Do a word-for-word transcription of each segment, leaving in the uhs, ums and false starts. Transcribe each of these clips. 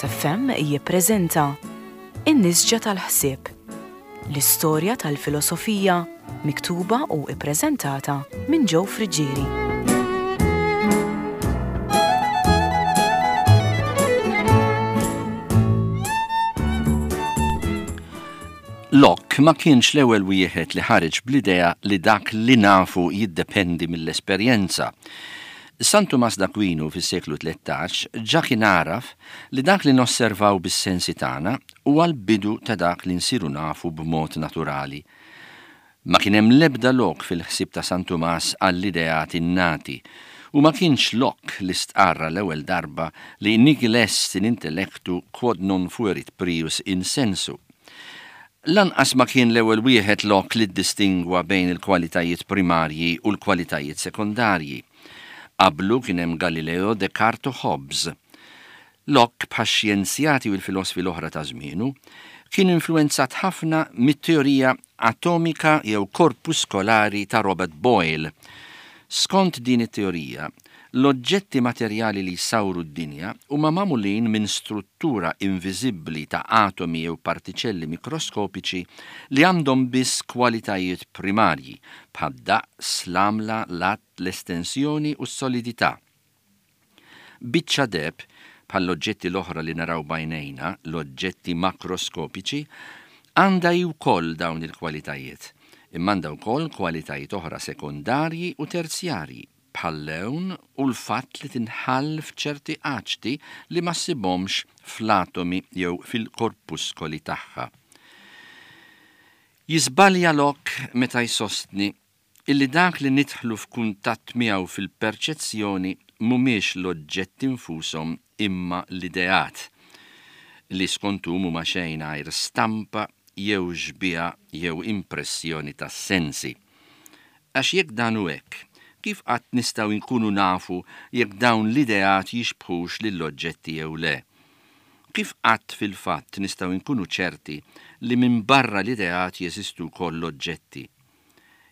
Caritas F M jippreżenta In-Nisġa tal-Ħsieb, l-istorja tal-filosofija miktuba u ippreżentata minn Joe Friggieri. Locke ma kienx l-ewwel wieħed li ħareġ bl-idea li dak li nafu jiddependi mill-esperjenza. San Tumas d'Aquino fis-seklu tlettax ġa kien għaraf li dak li nosservaw bis-sensi tagħna huwa l-bidu ta' dak li nsiru nafu b'mod naturali. Ma kien hemm l-ebda lok fil-ħsieb ta' San Tumas għall-ideat innati, u ma kienx Locke li stqarra l-ewwel darba li nihil est in intellectu quod non fuerit prius in sensu. Lanqas ma kien l-ewwel wieħed Locke li ddistingwa bejn il-kwalitajiet primarji u l-kwalitajiet sekondarji. Qablu kien hemm Galileo, Descartes u Hobbes. Locke, bħax-xjenzjati u l-filosfi l-oħra ta' żmienu, kien influenzat ħafna mit-teorija atomika jew korpuskolari ta' Robert Boyle. Skont din it-teorija, l-oġġetti materjali li jsawru d-dinja huma magħmulin minn struttura inviżibbli ta' atomi jew partiċelli mikroskopiċi li għandhom biss kwalitajiet primarji bħad-daqs, l-għamla, l-att, l-estensjoni u s-solidità. Biċċa deheb, bħall-oġġetti l-oħra li naraw b'għajnejna, l-oġġetti makroskopiċi, għandha hi wkoll dawn il-kwalitajiet, imma għandha wkoll kwalitajiet oħra sekondarji u terzjarji, bħal-lewn u l-fatt li tinħall f'ċerti aċti li ma ssibhomx fl-atomi jew fil-korpuskoli tagħha. Jiżbalja Locke meta jsostni illi dak li nidħlu f'kuntatt miegħu fil-perċezzjoni mhumiex l-oġġetti nfushom imma l-ideat, li skont hu mhuma xejn għajr stampa jew xbieha jew impressjoni tas-sensi. Għax jekk dan hu hekk, kif qatt nistgħu nkunu nafu jekk dawn l-ideat jixbħux lill-oġġetti jew le? Kif qatt fil-fatt nistgħu nkunu ċerti li minn barra l-ideat jeżistu wkoll l-oġġetti?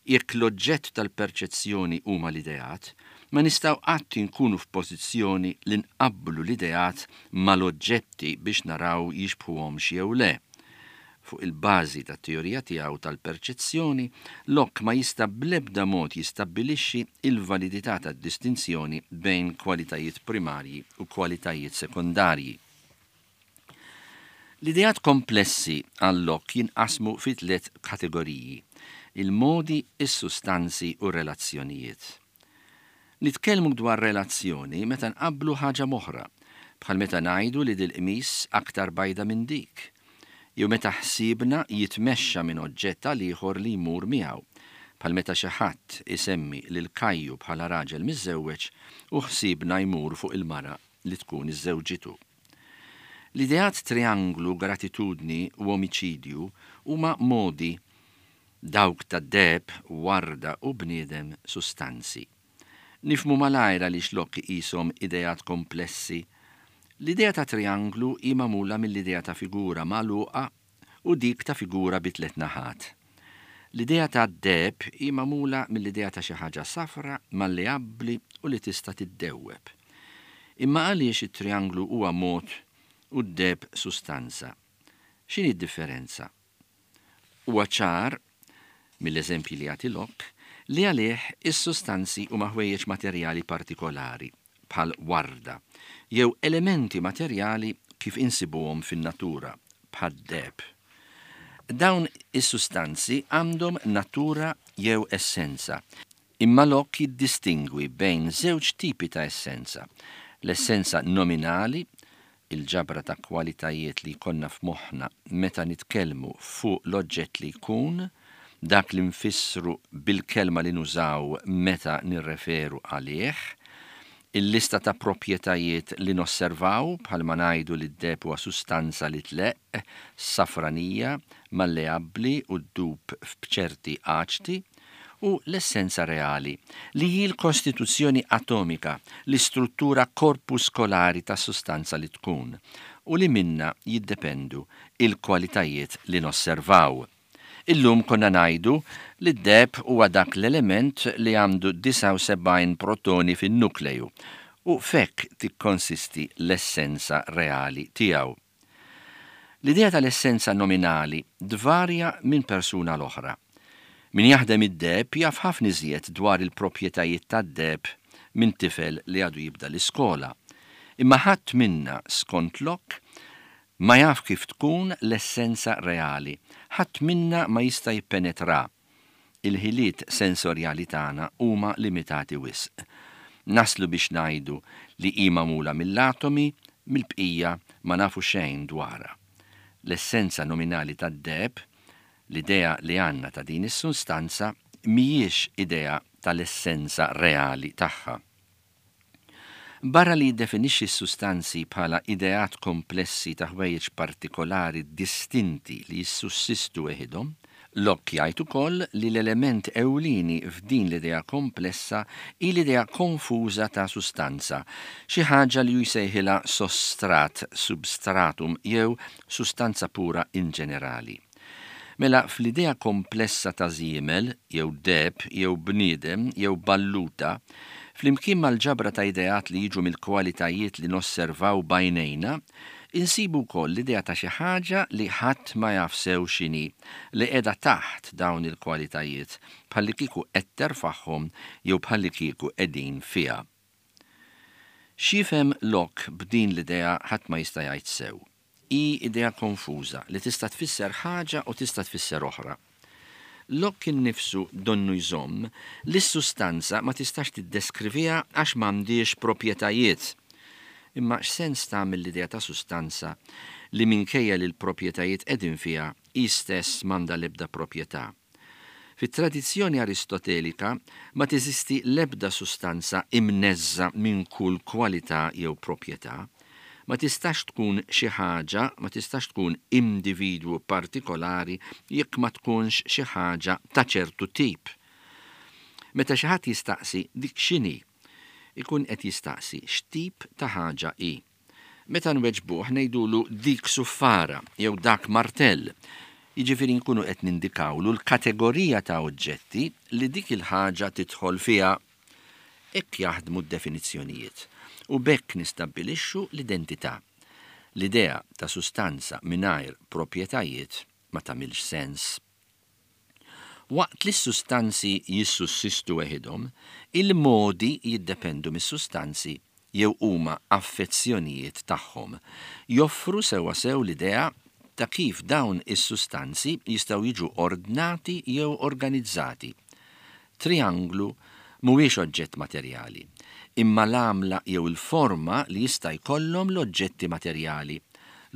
Jekk l-oġġett tal-perċezzjoni huma l-ideat, ma nistgħu qatt inkunu f'pożizzjoni li nqabblu l-ideat mal-oġġetti biex naraw jixbħuhomx jew le. Fuq il-bażi tat-teorija tiegħu tal-perċezzjoni, Locke ma jista' bl-ebda mod jistabbilixxi il-validità tad-distinzjoni bejn kwalitajiet primarji u kwalitajiet sekondarji. L-ideat komplessi għal Locke jinqasmu fi tliet kategoriji: il-modi, is-sustanzi u relazzjonijiet. Nitkellmu dwar relazzjoni meta nqabblu ħaġa m'oħra, bħal meta ngħidu li dil-qmis aktar bajda minn dik, jew meta ħsiebna jitmexxa minn oġġett għal ieħor li jmur miegħu, bħal meta xi ħadd isemmi lil Kajju bħala raġel miżżewweġ u ħsiebna jmur fuq il-mara li tkun iżżewġitu. L-ideat trianglu, gratitudni u omiċidju huma modi, dawk ta' deheb, warda u bniedem sustanzi. Nifhmu malajr għaliex Locke iqishom ideat komplessi. L-idea ta' trianglu hi magħmula mill-idea ta' figura magħluqa u dik ta' figura bi tliet naħat. L-idea ta' deheb hi magħmula mill-idea ta' xi ħaġa safra, malleabbli u li tista' tiddewweb. Imma għaliex it-trianglu huwa mod u d-deheb sustanza? X'inhi d-differenza? Huwa ċar mill-eżempji li jagħti Locke li għalih is-sustanzi huma ħwejjeġ materjali partikolari bħal warda jew elementi materjali kif insibuhom fin-natura bħad-deheb. Dawn is-sustanzi għandhom natura jew essenza, imma Locke jiddistingwi bejn żewġ tipi ta' essenza: l-essenza nominali, il-ġabra ta' kwalitajiet li jkollna f'moħħna meta nitkellmu fuq l-oġġett li jkun, dak li nfissru bil-kelma li nużaw meta nirreferu għalih, il-lista ta' proprjetajiet li nosservaw bħalma ngħidu li d-deheb huwa sustanza li tleqq, safranija, malleabbli u ddub f'ċerti aċti, u l-essenza reali, li hi l-kostituzzjoni atomika, l-istruttura korpuskolari ta' sustanza li tkun, u li minna jiddependu il-kwalitajiet li nosservaw. Illum konna ngħidu li d-deheb huwa dak l-element li għandu disgħa u sebgħin protoni fin-nukleju U f'hekk tikkonsisti l-essenza reali tiegħu. L-idea tal-essenza nominali tvarja minn persuna l-oħra. Min jaħdem id-deheb jaf ħafna iżjed dwar il-proprjetajiet tad-deheb minn tifel li għadu jibda l-iskola. Imma ħadd minna, skont Locke, ma jaf kif tkun l-essenza reali. Ħadd minna ma jista' jippenetra. Il-ħiliet sensorjali tagħna huma limitati wisq. Naslu biex ngħidu li hi magħmula mill-atomi, mill-bqija ma nafu xejn dwarha. L-essenza nominali tad-deheb, l-idea li għandna ta' din is-sustanza, mhijiex idea tal-essenza reali tagħha. Barra li jiddefinixxi s-sustanzi bħala ideat komplessi ta' ħwejjeġ partikolari distinti li jissussistu weħidhom, Locke jgħid ukoll li l-element ewlieni f'din l-idea komplessa hi l-idea konfuża ta' sustanza, xi ħaġa li hu jsejħilha sostrat, substratum jew sustanza pura in ġenerali. Mela fl-idea komplessa ta' żiemel, jew deheb, jew bniedem, jew balluta, flimkien mal-ġabra ta' ideat li jiġu mill-kwalitajiet li nosservaw b'għajnejna, insibu wkoll l-idea ta' xi ħaġa li ħadd ma jaf sew x'inhi, li qiegħda taħt dawn il-kwalitajiet, bħallikieku qed terfagħhom jew bħallikieku qegħdin fiha. X'jifhem Locke b'din l-idea ħadd ma jista' jgħid sew. Hi idea konfuża li tista' tfisser ħaġa u tista' tfisser oħra. Locke innifsu donnu jżomm li s-sustanza ma tistax tiddeskriviha għax m'għandhiex proprjetajiet. Imma x'sens tagħmel l-idea ta' sustanza li minkejja li l-proprjetajiet qegħdin fiha hi stess m'għandha l-ebda proprjetà? Fit-tradizzjoni aristotelika ma teżisti l-ebda sustanza imneżża minn kull kwalità jew proprjetà. Ma tistax tkun xi ħaġa, ma tistax tkun individwu partikolari jekk ma tkunx xi ħaġa ta' ċertu tip. Meta xi ħadd jistaqsi dik x'inhi, ikun qed jistaqsi x'tip ta' ħaġa hi. Meta nweġbuh ngħidulu dik suffara jew dak martell, jiġifieri nkunu qed nindikawlu l-kategorija ta' oġġetti li dik il-ħaġa tidħol fiha. Hekk jaħdmu d-definizzjonijiet u b'hekk nistabbilixxu l-identità. L-idea ta' sustanza mingħajr proprjetajiet ma tagħmilx sens. Waqt li s-sustanzi jissussistu weħidhom, il-modi jiddependu mis-sustanzi jew huma affezzjonijiet tagħhom. Joffru sewwasew l-idea ta' kif dawn is-sustanzi jistgħu jiġu ordnati jew organizzati. Trianglu mhuwiex oġġett materjali, imma l-għamla jew il-forma li jista' jkollhom l-oġġetti materjali,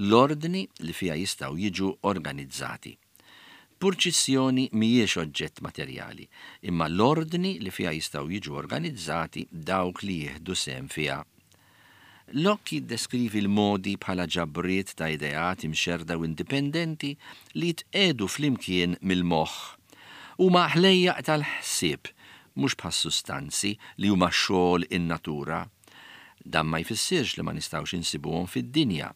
l-ordni li fiha jistgħu jiġu organizzati. Purċissjoni mhijiex oġġett materjali, imma l-ordni li fiha jistgħu jiġu organizzati dawk li jieħdu sehem fiha. Locke jiddeskrivi l-modi bħala ġabriet ta' ideat imxerda u indipendenti li jitqiegħdu flimkien mill-moħħ. Huma ħlejjaq tal-ħsieb, mhux bħas-sustanzi li huma xogħol in-natura. Dan ma jfissirx li ma nistgħux insibuhom fid-dinja.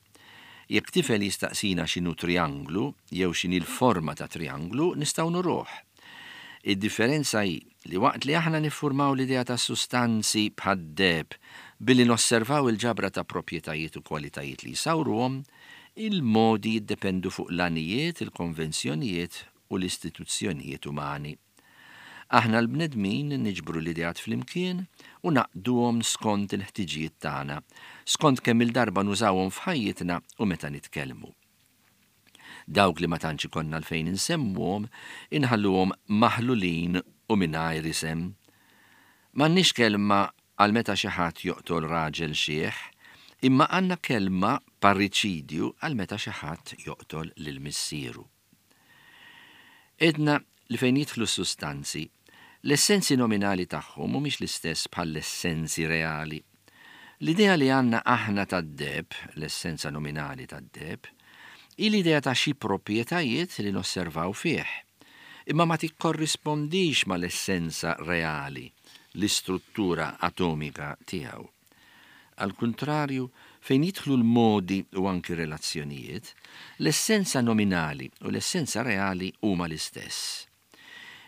Jekk tifel jistaqsina x'inhu trianglu jew x'inhi l-forma ta' trianglu, nistgħu nuruh. Id-differenza hi li waqt li aħna niffurmaw l-idea ta' sustanzi bħad-deheb billi nosservaw il-ġabra ta' proprjetajiet u kwalitajiet li jsawruhom, il-modi jiddependu fuq l-għanijiet, il-konvenzjonijiet u l-istituzzjonijiet umani. Aħna l-bnedmin niġbru l-ideat flimkien u naqduhom skont il-ħtiġijiet tagħna, skont kemm il-darba nużawhom f'ħajjitna u meta nitkellmu. Dawk li ma tantx ikollna għalfejn insemmuhom, inħalluhom maħlulin u mingħajr isem. M'għandniex kelma għal meta xi ħadd joqtol raġel xiħ, imma għandna kelma parriċidju għal meta xi ħadd joqtol lil missieru. Edna li fejn jidħlu s-sustanzi, l-essenzi nominali tagħhom mhumiex l-istess bħall-essenzi reali. L-idea li għandna aħna tad-deheb, l-essenza nominali tad-deheb, hi l-idea ta' xi proprjetajiet li nosservaw fih, imma ma tikkorrispondix mal-essenza reali, l-istruttura atomika tiegħu. Al kuntrarju, fejn jidħlu l-modi u anki relazzjonijiet, l-essenza nominali u l-essenza reali huma l-istess.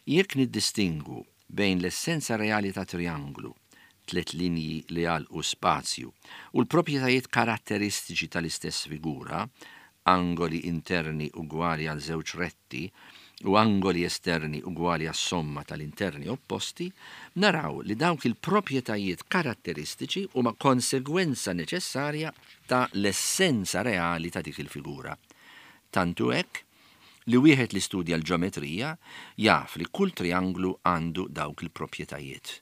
Jekk niddistingu bejn l-essenza reali ta' trianglu, tliet linji li jagħlqu spazju, u l-proprjetajiet karatteristiċi tal-istess figura, angoli interni ugwali għal żewġ retti u angoli esterni ugwali għas-somma tal-interni opposti, naraw li dawk il-proprjetajiet karatteristiċi huma konsegwenza neċessarja ta' l-essenza reali ta' dik il-figura. Tantu hekk li wieħed li studja l-ġeometrija jaf li kull trianglu għandu dawk il-proprjetajiet.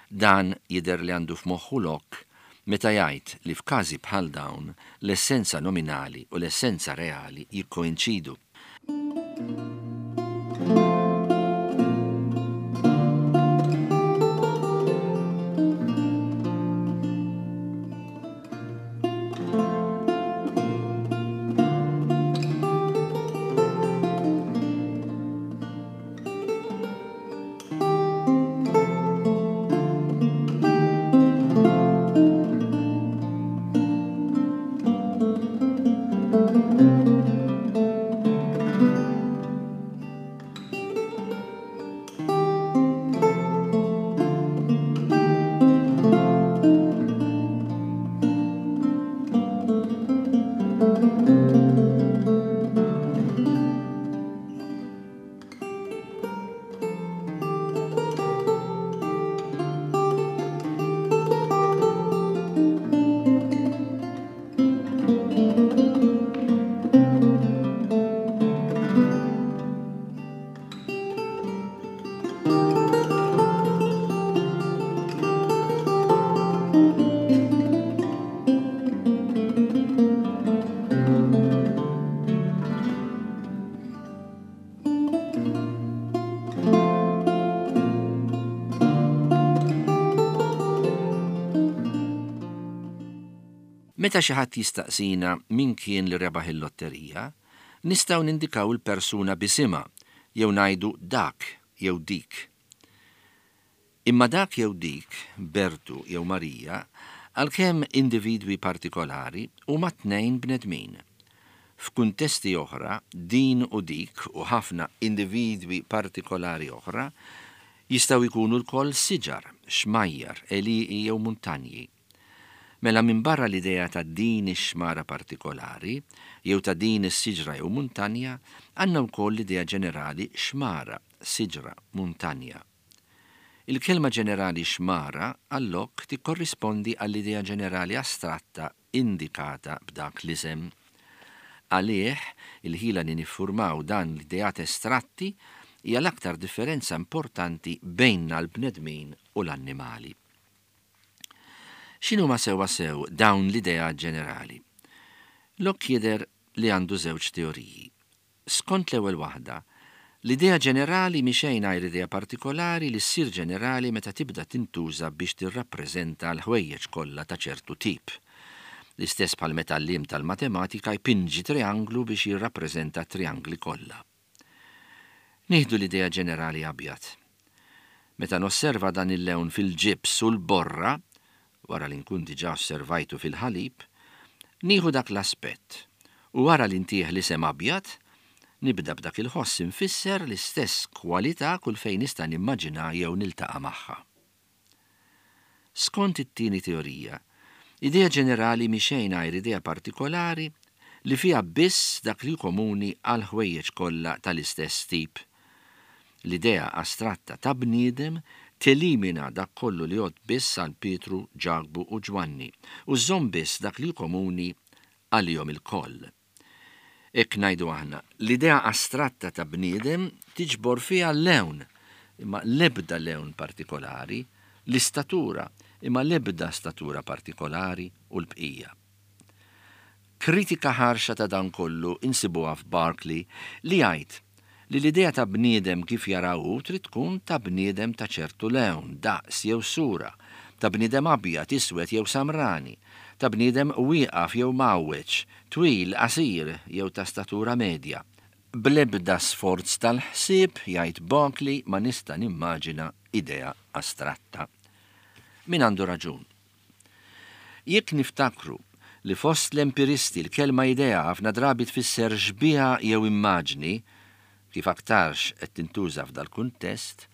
Dan jidher li għandu f'moħħu Locke meta jgħid li f'każi bħal dawn l-essenza nominali u l-essenza reali jikkoinċidu. Meta xi ħadd jistaqsina min kien li rebaħ il-lotterija, nistgħu nindikaw il-persuna b'isimha jew ngħidu dak jew dik. Imma dak jew dik, Bertu jew Marija, għalkemm individwi partikolari huma tnejn bnedmin. F'kuntesti oħra, din u dik u ħafna individwi partikolari oħra jistgħu jkunu lkoll siġar, xmajjar, għelieqi jew muntanji. Mela minbarra l-idea ta' din ix-xmara partikolari, jew ta' din is-siġra jew muntanja, għandna wkoll l-idea ġenerali xmara, siġra, muntanja. Il-kelma ġenerali xmara għal Locke tikkorrispondi għall-idea ġenerali astratta indikata b'dak l-isem. Għalih, il-ħila li niffurmaw dan l-ideat estratti hija l-aktar differenza importanti bejnna l-bnedmin u l-annimali. X'inhuma sewwa sew dawn l-idea ġenerali? Locke jidher li għandu żewġ teoriji. Skont l-ewwel waħda, l-idea ġenerali mhi xejn għajr idea partikolari li ssir ġenerali meta tibda tintuża biex tirrappreżenta l-ħwejjeġ kollha ta' ċertu tip. L-istess bħal meta l-għalliem tal-matematika jpinġi trianglu biex jirrappreżenta triangli kollha. Nieħdu l-idea ġenerali abjad. Meta nosserva dan il-lewn fil-ġibs u l-borra, wara li nkun diġà osservajtu fil-ħalib, nieħu dak l-aspett u wara li ntih l-isem abjad, nibda b'dak il-ħoss infisser l-istess kwalità kull fejn nista' nimmaġina jew niltaqa' magħha. Skont it-tieni teorija, idea ġenerali mhi xejn għajr idea partikolari li fiha biss dak li komuni għal ħwejjeġ kollha tal-istess tip. L-idea astratta ta' bniedem telimina dak kollu li jgħod biss għal Pietru, Ġakbu u Ġwanni u żżomm biss dak li komuni għalihom ilkoll. Hekk ngħidu aħna, l-idea astratta ta' bniedem tiġbor fiha lewn, imma l-ebda lewn partikolari, l-istatura, imma l-ebda statura partikolari u l-bqija. Kritika ħarxa ta' dan kollu insibuha f'Berkeley li jgħid li l-idea ta' bniedem kif jaraw trid tkun ta' bniedem ta' ċertu lewn, daqs jew sura, ta' bniedem abjad, iswed jew samrani, ta' bniedem wieqaf jew mgħawweġ, twil, qasir jew ta' statura medja. Bl-ebda sforz tal-ħsieb, jgħid Berkeley, ma nista' nimmaġina idea astratta. Min għandu raġun? Jekk niftakru li fost l-empiristi l-kelma idea ħafna drabi tfisser xbieha jew immaġni, kif aktarx qed tintuża f'dal-kuntest,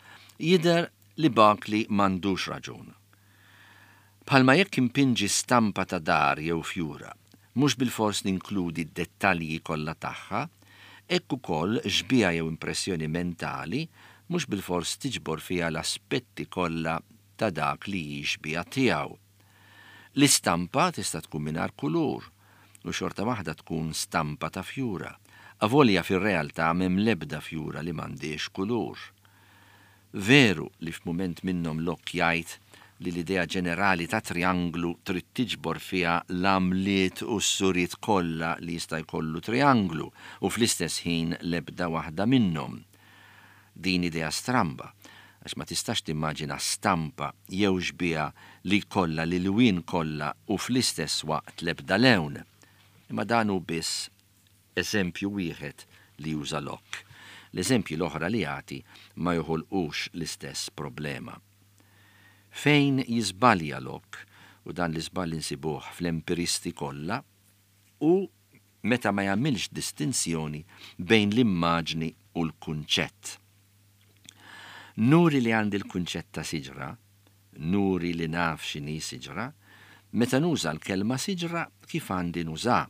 jidher li Berkeley m'għandux raġun. Bħalma jekk impinġi stampa ta' dar jew fjura, mhux bilfors ninkludi d-dettalji kollha tagħha, hekk ukoll xbieha jew impressjoni mentali mhux bilfors tiġbor fiha l-aspetti kollha ta' dak li hi xbieha tiegħu. L-istampa tista' tkun mingħajr kulur u xorta waħda tkun stampa ta' fjura, avolja fir-realtà m'hemm l-ebda fjura li m'għandhiex kulur. Veru li f'mument minnhom Locke jgħid li l-idea ġenerali ta' trianglu trid tiġbor fiha l-għamliet u s-suriet kollha li jista' jkollu trianglu u fl-istess ħin l-ebda waħda minnhom. Din idea stramba, għax ma tistax timmaġina stampa jew xbieha li jkollha l-ilwien kollha u fl-istess waqt l-ebda lewn. Imma dan hu biss eżempju wieħed li juża Locke. L-eżempji l-oħra li jagħti ma joħolqux l-istess problema. Fejn jiżbalja Locke, u dan l-iżball insibuh fl-empiristi kollha, hu meta ma jagħmilx distinzjoni bejn l-immaġni u l-kunċett. Nuri li għandi l-kunċett ta' siġra, nuri li naf x'inhi siġra, meta nuża l-kelma siġra kif għandi nuża,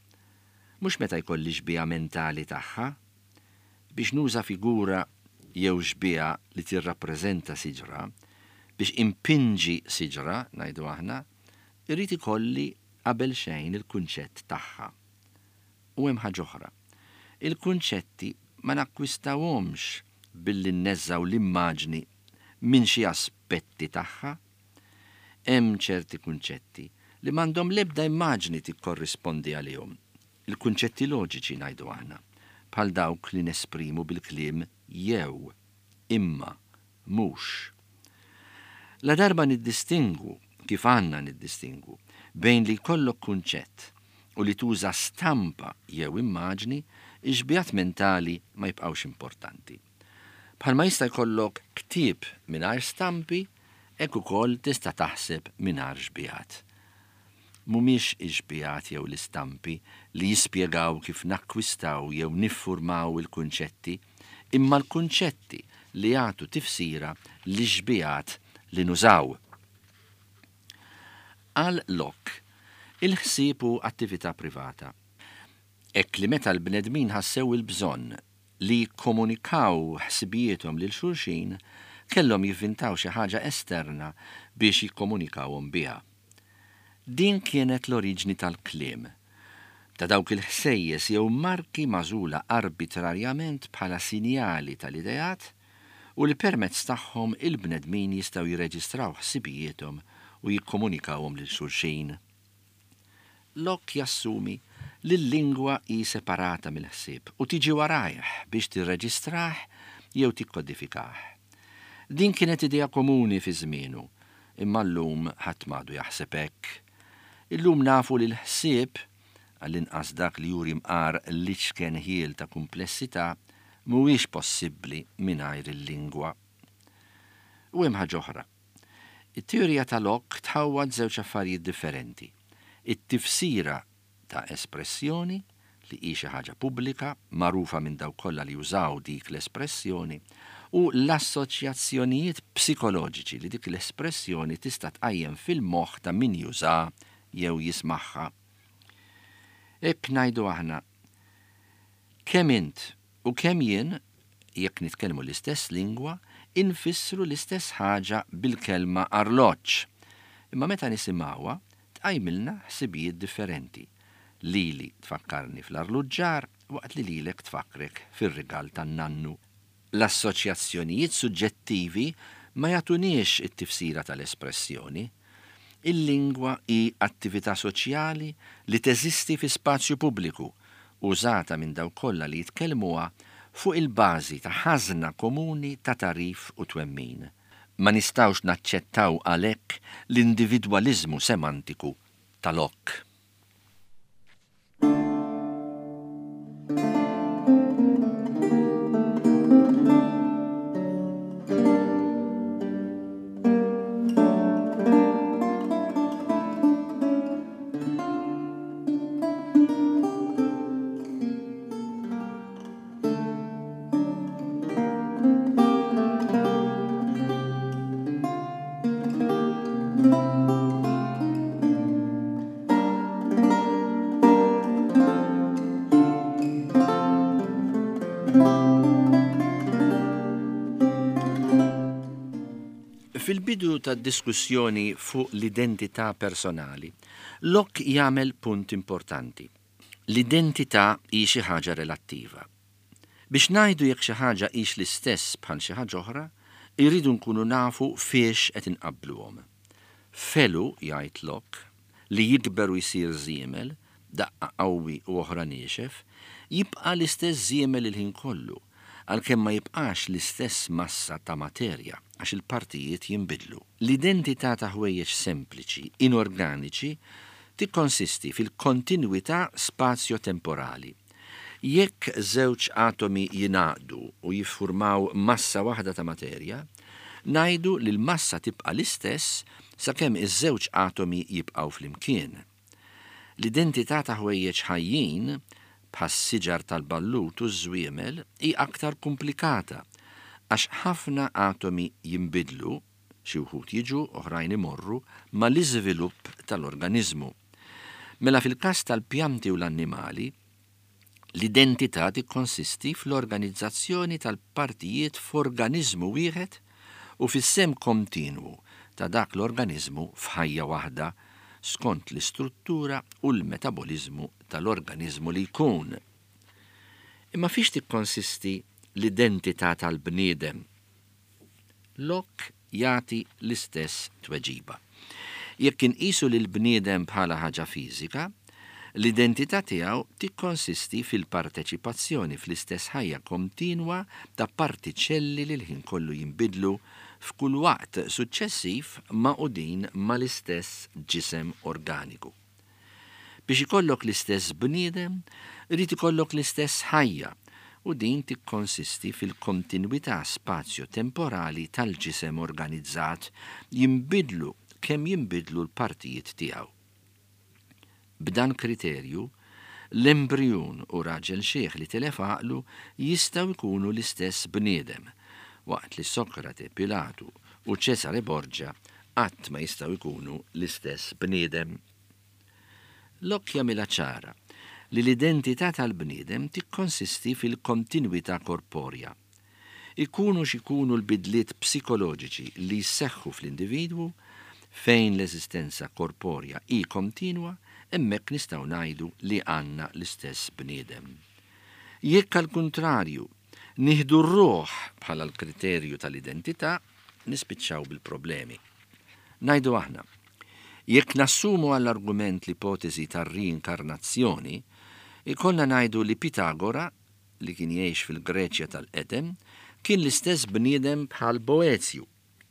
mhux meta jkolli xbieha mentali tagħha. Biex nuża figura jew xbieha li tirrappreżenta siġra, biex impinġi siġra, ngħidu aħna, irrid ikolli qabel xejn il-kunċett tagħha. U hemm ħaġa oħra. Il-kunċetti ma nakkwistawhomx billi nneżżaw l-immaġni minn xi aspetti tagħha. Hemm ċerti kunċetti li m'għandhom l-ebda immaġni tikkorrispondi għalihom. Il-kunċetti loġiċi ngħidu aħna, bħal dawk li nesprimu bil-kliem jew, imma, mhux. La darba niddistingwu, kif għandna niddistingwu, bejn li jkollok kunċett u li tuża stampa jew immaġni, ix-xbihat mentali ma jibqgħux importanti. Bħalma jista' jkollok ktieb mingħajr stampi, hekk ukoll tista' taħseb mingħajr xbihat. Mhumiex ix-xbihat jew l-istampi li jispjegaw kif nakkwistaw jew niffurmaw il-kunċetti, imma l-kunċetti li jagħtu tifsira lix-xbihat li nużaw. Għal Locke, il-ħsieb hu attività privata. Hekk li meta l-bnedmin ħassew il-bżonn li jikkomunikaw ħsibijiethom lil xulxin, kellhom jivvintaw xi ħaġa esterna biex jikkomunikawhom biha. Din kienet l-oriġni tal-kliem, ta' dawk il-ħsejjes jew marki magħżula arbitrarjament bħala sinjali tal-ideat u li permezz tagħhom il-bnedmin jistgħu jirreġistraw ħsibijiethom u jikkomunikawhom lil xulxin. Locke jassumi li l-lingwa hi separata mill-ħsieb u tiġi warajh biex tirreġistrah jew tikkodifikah. Din kienet idea komuni fi żmienu, imma llum ħadd m'għadu jaħseb hekk. Illum nafu li l-ħsieb, għall-inqas dak li juri mqar l-iċken ħiel ta' kumplessità, mhuwiex possibbli mingħajr il-lingwa. U hemm ħaġa oħra. It-teorija ta' Locke tħawwad żewġ affarijiet differenti. It-tifsira ta' espressjoni, li hi xi ħaġa pubblika, magħrufa minn dawk kollha li jużaw dik l-espressjoni, u l-assoċjazzjonijiet psikoloġiċi li dik l-espressjoni tista' tqajjem fil-moħħ ta' min juża jew jismagħha. Hekk ngħidu aħna, kemm int u kemm jien, jekk nitkellmu l-istess lingwa, infissru l-istess ħaġa bil-kelma arloġġ. Imma meta nisimgħuha, tqajmilna ħsibijiet differenti. Lili tfakkarni fl-arluġġar waqt li lilek tfakkrek fir-rigal tan-nannu. L-assoċjazzjonijiet suġġettivi ma jagħtuniex it-tifsira tal-espressjoni. Il-lingwa hi attività soċjali li teżisti fi spazju pubbliku, użata minn dawk kollha li jitkellmuha fuq il-bażi ta' ħażna komuni ta' tagħrif u twemmin. Ma nistgħux naċċettaw għalhekk l-individwaliżmu semantiku ta' Locke. Fil-bidu tad-diskussjoni fuq l-identità personali, Locke jagħmel punt importanti. L-identità hi xi ħaġa relattiva. Biex ngħidu jekk xi ħaġa hix l-istess bħal xi ħaġa oħra, irridu nkunu nafu fiex qed inqabbluhom. Felu, jgħid Locke, li jikber u jsir żiemel, daqqa qawwi u oħra niexef, jibqa' l-istess żiemel il-ħin kollu, għalkemm ma jibqax l-istess massa ta' materja għax il-partijiet jinbidlu. L-identità ta' ħwejjeġ sempliċi, inorganiċi, tikkonsisti fil-kontinwità spazjo-temporali. Jekk żewġ atomi jingħaqdu u jiffurmaw massa waħda ta' materja, ngħidu li l-massa tibqa' l-istess sakemm iż-żewġ atomi jibqgħu flimkien. L-identità ta' ħwejjeġ ħajjin, bħas-siġar tal-ballut u ż-żwiemel, hi aktar komplikata għax ħafna atomi jinbidlu, xi wħud jiġu, oħrajn imorru, mal-iżvilupp tal-organizmu. Mela fil-każ tal-pjanti u l-annimali, l-identità tikkonsisti fl-organizzazzjoni tal-partijiet f'organiżmu wieħed u fis-sehem kontinwu ta' dak l-organizmu f'ħajja waħda skont l-istruttura u l-metaboliżmu tal-organizmu li jkun. Imma fiex tikkonsisti l-identità tal-bniedem? Locke jagħti l-istess tweġiba. Jekk inqisu lil bniedem bħala ħaġa fiżika, l-identità tiegħu tikkonsisti fil-parteċipazzjoni fl-istess ħajja kontinwa ta' partiċelli li l-ħin kollu jinbidlu f'kull waqt suċċessiv magħqudin mal-istess ġisem organiku. Biex ikollok l-istess bniedem, irid ikollok l-istess ħajja, u din tikkonsisti fil-kontinwità spazjo-temporali tal-ġisem organizzat jinbidlu kemm jinbidlu l-partijiet tiegħu. B'dan kriterju, l-embrijun u raġel xiħ li tilef għaqlu jistgħu jkunu l-istess bniedem, waqt li Sokrate, Pilatu u Ċesare Borgia qatt ma jistgħu jkunu l-istess bniedem. Locke jagħmilha ċara li l-identità tal-bniedem tikkonsisti fil-kontinwità korporja. Ikunu x'ikunu l-bidliet psikoloġiċi li jseħħu fl-individwu, fejn l-eżistenza korporja hi kontinwa, hemmhekk nistgħu ngħidu li għandna l-istess bniedem. Jekk għal kuntrarju nieħdu r-ruħ bħala l-kriterju tal-identità, nispiċċaw bil-problemi. Ngħidu aħna, jekk nassumu għall-argument l-ipotezi tar-riinkarnazzjoni, ikollna ngħidu li Pitagora, li kien jgħix fil-Greċja tal-qedem, kien l-istess bniedem bħal Boezju,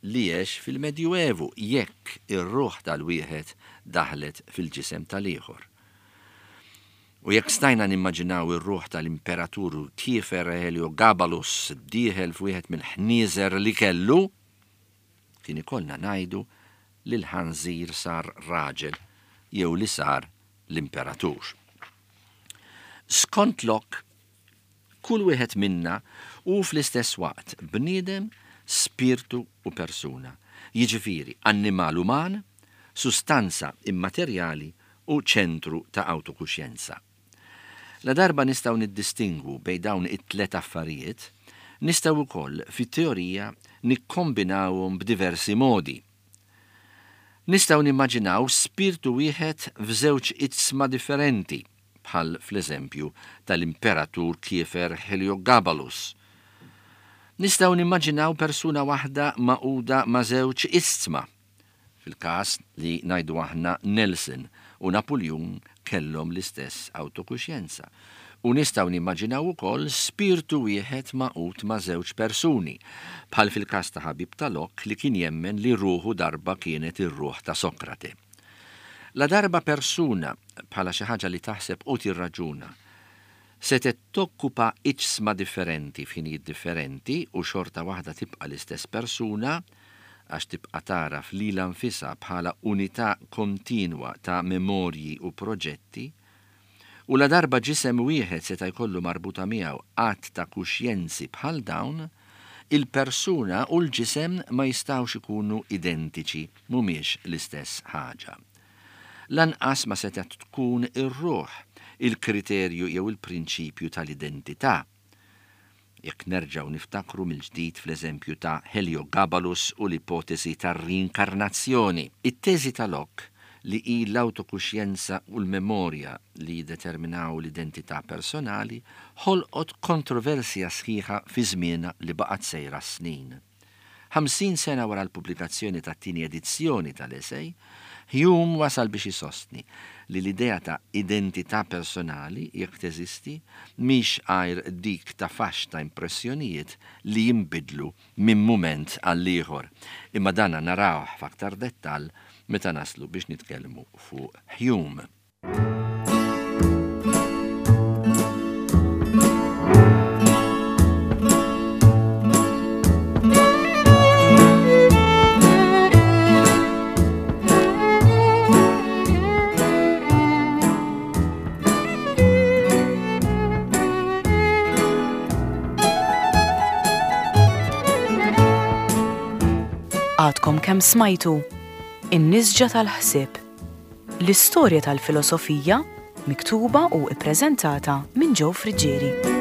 li għex fil-Medjuevu, jekk ir-ruħ tal-wieħed daħlet fil-ġisem tal-ieħor. U jekk stajna nimmaġinaw ir-ruħ tal-imperatur Kiefer Heliogabalus dieħel f'wieħed mill-ħnieżer li kellu, kien ikollna ngħidu li l-ħanżir sar raġel jew li sar l-imperatur. Skont Locke, kull wieħed minna hu fl-istess waqt bniedem, spirtu u persuna, jiġifieri annimal uman, sustanza immaterjali u ċentru ta' autokuxjenza. La darba nistgħu niddistingwu bejn dawn it-tlet affarijiet, nistgħu wkoll fit-teorija nikkombinawhom b'diversi modi. Nistgħu nimmaġinaw spirtu wieħed f'żewġ iġsma differenti, bħal fl-eżempju tal-imperatur Kiefer Heliogabalus. Nistgħu nimmaġinaw persuna waħda magħquda ma' żewġ iġsma, fil-każ li ngħidu aħna Nelson u Napoleon kellhom l-istess autokuxjenza. U nistgħu nimmaġinaw ukoll spirtu wieħed magħqud ma' żewġ persuni, bħal fil-każ ta' ħabib ta' Locke li kien jemmen li ruħu darba kienet ir-ruħ ta' Sokrate. La darba persuna bħala xi ħaġa li taħseb u tirraġuna setgħet tokkupa iġsma differenti f'ħinijiet differenti u xorta waħda tibqa' l-istess persuna għax tibqa' tagħraf lilha nfisha bħala unità kontinwa ta' memorji u proġetti, u la darba ġisem wieħed seta' jkollu marbuta miegħu għadd ta' kuxjenzi bħal dawn, il-persuna u l-ġisem ma jistgħux ikunu identiċi, mhumiex l-istess ħaġa. Lanqas ma setgħet tkun ir-ruħ, il-kriterju jew il-prinċipju tal-identità. jekk nerġgħu niftakru mill-ġdid fl-eżempju ta' Heliogabalus u l-ipotesi tar-riinkarnazzjoni. It-teżi ta' Locke li hi l-awtokuxjenza u l-memorja li jiddeterminaw l-identità personali ħolqot kontroversja sħiħa fi żmienha li baqgħet sejra s-snin. Ħamsin sena wara l-pubblikazzjoni tat-tieni edizzjoni tal-esej, Hume wasal biex isostni li l-idea ta' identità personali, jekk teżisti, mhix għajr dik ta' faxx ta' impressjonijiet li jinbidlu minn mument għall-ieħor. Imma dana narawh f'aktar dettall meta naslu biex nitkellmu fuq Hume. Għadkom kemm smajtu In-Nisġa tal-Ħsieb, l-istorja tal-filosofija miktuba u ippreżentata minn Joe Friggieri.